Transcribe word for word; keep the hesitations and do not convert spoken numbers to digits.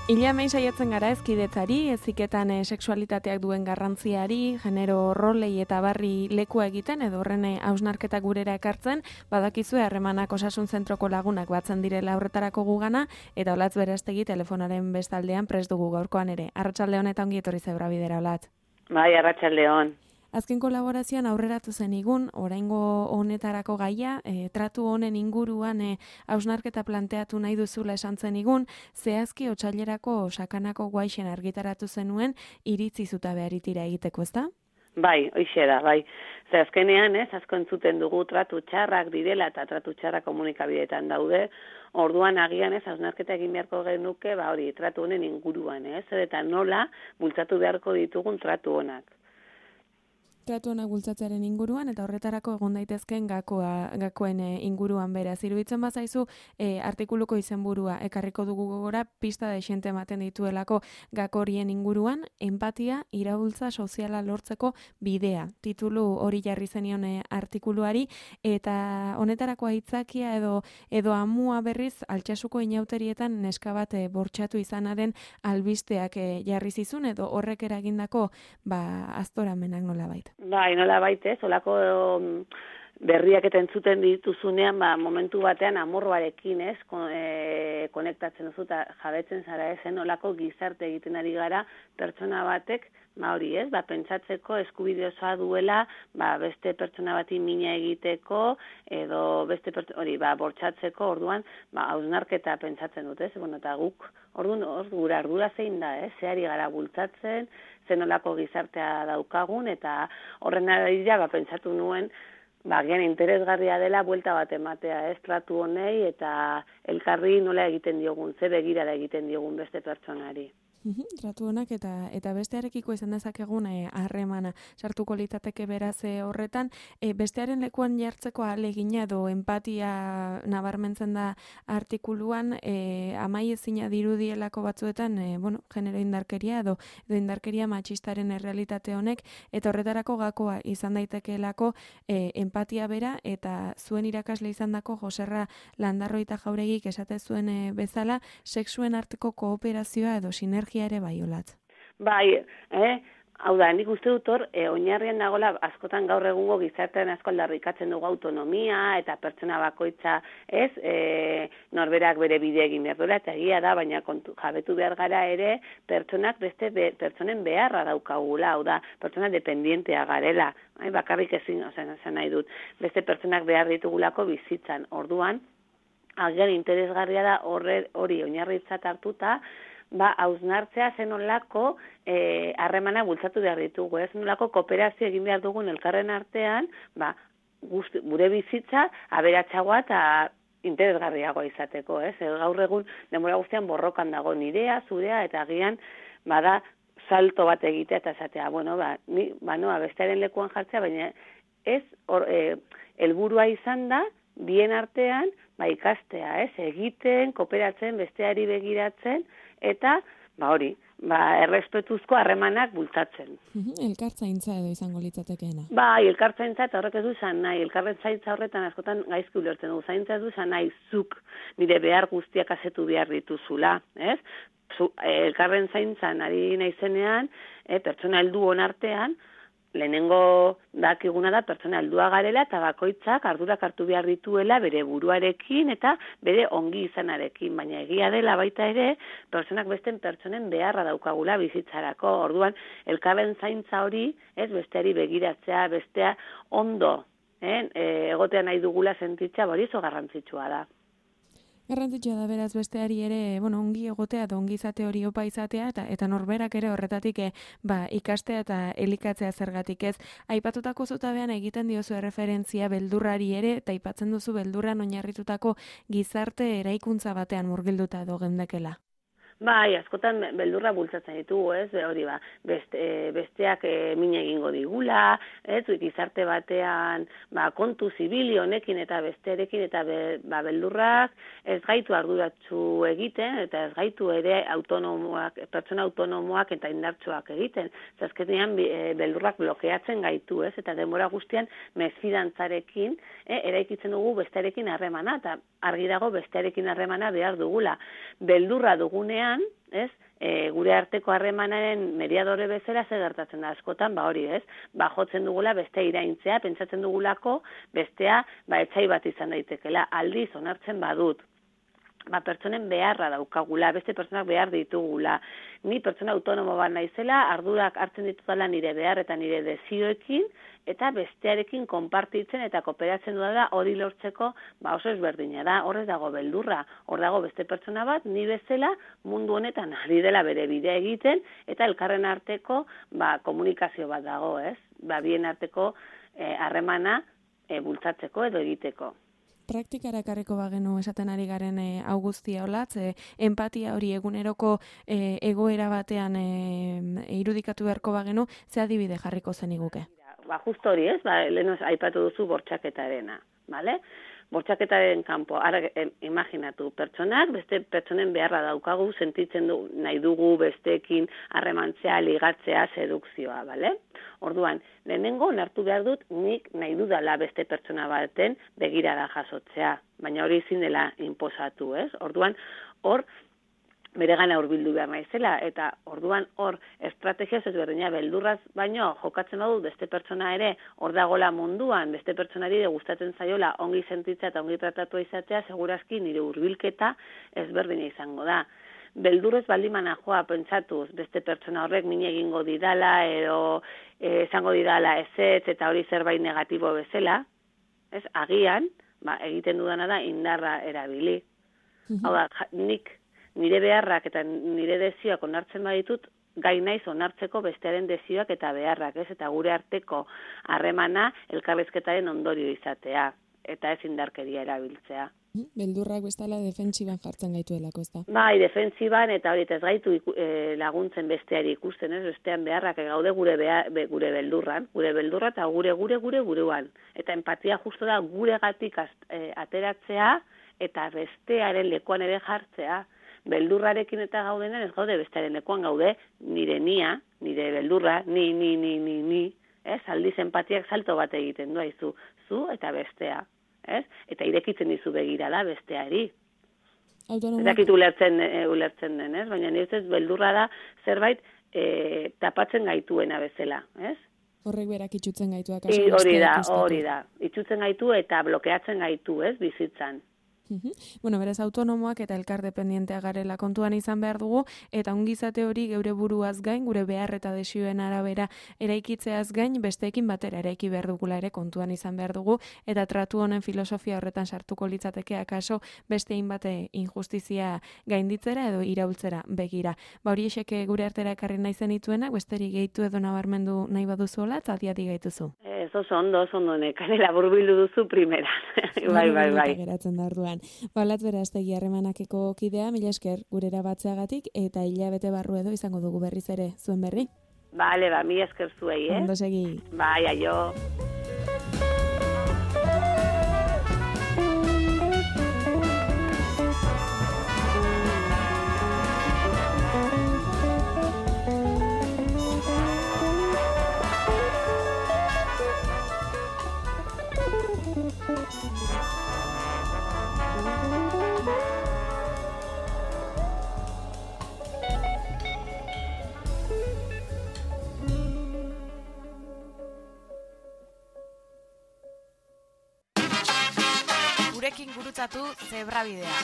Ila mei saiatzen gara ezkidetzari, eziketan e, sexualitateak duen garrantziari, genero rolei eta barri lekua egiten, edo horren hausnarketa gurera ekartzen, badakizue harremanak osasun zentroko lagunak batzen direla horretarako gugana, eta Olatz Berastegi telefonaren bestaldean prest dugu gaurkoan ere. Arratsalde on eta ongi etorri Zebra Bidera, Olatz. Bai, arratsalde on. Azken kolaborazioan aurreratu zen igun, oraingo honetarako gaia, e, tratu honen inguruan e, hausnarketa planteatu nahi duzula esan zen igun, zehazki otsailerako sakanako guaixen argitaratu zenuen iritzi zutabe aritira egiteko, ezta? Bai, hoixe da, bai. Ze azkenean, ez, asko entzuten dugu tratu txarrak direla eta tratu txarrak komunikabideetan daude, orduan agian ez, hausnarketa egin beharko genuke, ba hori, tratu honen inguruan, ez, eta nola bultzatu beharko ditugun tratu honak. Tratu honak bultzatzearen inguruan eta horretarako egon daitezkeen gakoa, gakoen inguruan beraz. Iruditzen bazaizu e, artikuluko izenburua ekarriko dugu gogora pista de xente ematen dituelako gakorien inguruan, empatia iraultza soziala lortzeko bidea. Titulu hori jarri zenion e, artikuluari eta honetarako aitzakia edo edo amua berriz Altsasuko inauterietan neska bat e, bortxatu izanaren albisteak e, jarri zizun edo horrek eragindako ba aztoramenak nolabait. Bai, nola baitez, olako um, berriak eta entzuten dituzunean, ba, momentu batean amorroarekin, ez, kon, e, konektatzen duzu eta jabetzen zara ezen, olako gizarte egiten ari gara pertsona batek, ba hori ez, ba, pentsatzeko eskubide osoa duela, ba, beste pertsona bati mina egiteko, edo beste pertsona, hori, ba, bortxatzeko, orduan, ba, hausnarketa pentsatzen dut, ez, bueno, eta guk, orduan, or, gura ardura zein da, ez, zehari gara bultzatzen, zenolako gizartea daukagun, eta horren arira, ba, pentsatu nuen, ba, gian interesgarria dela buelta bat ematea, ez, tratu honei, eta elkarri nola egiten diogun, ze begirara egiten diogun beste pertsonari. Tratu honak eta eta bestearekiko izan dezakegun harremana e, sartuko litzateke beraz e, horretan e, bestearen lekuan jartzeko ahalegina edo empatia nabarmentzen da artikuluan e, amaiezina dirudielako batzuetan e, bueno, genero indarkeria edo, edo indarkeria matxistaren errealitate honek eta horretarako gakoa izan daitekeelako e, empatia bera eta zuen irakasle izandako Joserra Landarroita Jauregik esate zuen e, bezala sexuen arteko kooperazioa edo sinergia ere bai, Olatz. Bai, eh? Hau da, nik uste dut hor, e, oinarrian nagola askotan gaur egungo gizartean asko aldarrikatzen dugu autonomia eta pertsona bakoitza, ez, e, norberak bere bide egin behar duela, eta egia da, baina kontu, jabetu behar gara ere, pertsonak beste be, pertsonen beharra daukagula, hau da, pertsona dependientea garela, eh? Bakarrik ezin, ozen, esan nahi dut, beste pertsonak behar ditugulako bizitzan, orduan, agian interesgarria da horre, hori oinarritzat hartuta, ba, hausnartzea zenolako eh, harremana bultzatu behar ditugu, ez nolako kooperazio egin behar dugun elkarren artean, ba, guzti, gure bizitza aberatsagoa eta interesgarriagoa izateko, ez? Gaur egun denbora guztian borrokan dago nirea, zurea, eta agian, bada, salto bat egitea eta esatea, bueno, ba, ni, ba, noa, bestearen lekuan jartzea, baina ez, or, eh, helburua izan da, bien artean, ba, ikastea, ez? Egiten, kooperatzen, besteari begiratzen, eta, ba hori, ba, errespetuzko harremanak bultatzen. Elkartzaintza edo izango litzatekeena. Bai, elkartzaintza eta horrek ez du izan nahi, elkartzaintza horretan askotan gaizki ulertzen du, zaintza ez du izan nahi zuk nire behar guztiak asetu behar dituzula, ez? Zu, elkarren zaintzan ari naizenean, e, pertsona heldu on artean, lehenengo dakiguna da pertsona heldua garela eta bakoitzak ardurak hartu behar dituela bere buruarekin eta bere ongi izanarekin, baina egia dela baita ere pertsonak besten pertsonen beharra daukagula bizitzarako. Orduan elkarren zaintza hori, ez, besteari begiratzea, bestea ondo, eh, egotea nahi dugula sentitzea, hori oso garrantzitsua da. Garrantzitsua da beraz besteari ere, bueno, ongi egotea eta ongi izate hori opa izatea eta eta norberak ere horretatik e, ba, ikastea eta elikatzea zergatik ez. Aipatutako zutabean egiten diozu erreferentzia beldurrari ere eta aipatzen duzu beldurran oinarritutako gizarte eraikuntza batean murgilduta edo gendekela. Bai, askotan beldurra bultzatzen ditugu, ez, hori ba, beste, besteak e, min egingo digula, ez, gizarte batean, ba, kontu zibili honekin eta bestearekin eta be, ba, beldurrak ez gaitu arduratsu egiten, eta ez gaitu ere autonomoak, pertsona autonomoak eta indartsuak egiten. Azkenean e, beldurrak blokeatzen gaitu, ez, eta denbora guztian mesfidantzarekin e, eraikitzen dugu bestearekin harremana, eta argi dago bestearekin harremana behar dugula. Beldurra dugunean, ez? E, gure arteko harremanaren mediadore bezala ze gertatzen da askotan, ba hori, ez? Ba jotzen dugula bestea iraintzea, pentsatzen dugulako bestea ba etsai bat izan daitekela. Aldiz onartzen badut, ba pertsonen beharra daukagula, beste pertsonak behar ditugula. Ni pertsona autonomo bat naizela, ardurak hartzen ditudala nire behar eta nire dezioekin, eta bestearekin konpartitzen eta kooperatzen dudala hori lortzeko ba oso ezberdina da, horrez dago beldurra, hor dago beste pertsona bat, ni bezala mundu honetan ari dela bere bidea egiten, eta elkarren arteko ba, komunikazio bat dago, ez? Ba, bien arteko harremana e, bultzatzeko edo egiteko. Praktikara ekarriko bagenu esaten ari garen e, hau guztia olatz, e, empatia hori eguneroko e, egoera batean e, irudikatu beharko bagenu, ze adibide jarriko zeniguke? Ba, justo hori ez, ba, lehen aipatu duzu bortxaketarena, bale? Bortxaketaren kanpo, ara imaginatu, pertsonak, beste pertsonen beharra daukagu, sentitzen du, nahi dugu besteekin harremantzea, ligatzea, sedukzioa, bale? Orduan, lehenengo onartu behar dut, nik nahi dudala beste pertsona baten begirada jasotzea, baina hori ezin dela inposatu, ez? Orduan, hor, bere gana hurbildu behar naizela, eta orduan hor estrategia ezberdina beldurraz baino jokatzen badu beste pertsona ere hor dagola munduan, beste pertsonari gustatzen zaiola ongi sentitzea eta ongi tratatua izatea, segurazki nire hurbilketa ezberdina izango da. Beldurrez baldimana joa pentsatuz beste pertsona horrek min egingo didala edo e, esango didala ezetz eta hori zerbait negatibo bezala, ez agian, ba, egiten dudana da indarra erabili. Mm-hmm. Hau da, nik nire beharrak eta nire dezioak onartzen baditut, gai naiz onartzeko bestearen dezioak eta beharrak, ez? Eta gure arteko harremana elkarrizketaren ondorio izatea, eta ez indarkeria erabiltzea. Beldurrak bestala defentsiban jartzen gaituelako, ez da? Bai, defentsiban eta hori ez gaitu e, laguntzen besteari ikusten, ez? Bestean beharrak gaude gure behar, be, gure beldurran, gure beldurra eta gure gure gure gurean. Eta empatia justo da guregatik e, ateratzea eta bestearen lekuan ere jartzea. Beldurrarekin eta gaudenen ez gaude bestearen lekuan gaude nire nia, nire beldurra, ni, ni, ni, ni, ni, ez? Aldiz empatiak salto bat egiten du aizu, zu eta bestea, ez? Eta irekitzen dizu begirada besteari. Ez dakit ulertzen, e, ulertzen den, ez? Baina nire ez beldurra da zerbait e, tapatzen gaituena bezala, ez? Horrek berak itxutzen gaitu. I, hori da, hori da. Itxutzen gaitu eta blokeatzen gaitu, ez? Bizitzan. Bueno, beraz autonomoak eta elkar dependientea garela kontuan izan behar dugu, eta ongizate hori geure buruaz gain, gure behar eta desioen arabera eraikitzeaz gain, besteekin batera eraiki behar dugula ere kontuan izan behar dugu, eta tratu honen filosofia horretan sartuko litzateke akaso bestein bate injustizia gainditzera edo iraultzera begira. Ba hori eseke gure artera ekarri nahi zenituenak, besterik gehitu edo nabarmendu nahi baduzuela, eta adiadi gaituzu. Ez oso ondo, oso ondo nekanela burbildu duzu primera. bai, bai, bai. Geratzen da orduan. Balat beraztegi harremanakeko kidea, mila esker gurera batzeagatik, eta hilabete barru edo izango dugu berriz ere zuen berri. Bale, ba, mila esker zuei, eh? Ondo segi. Bai, aio. Gurekin gurutzatu Zebrabidea.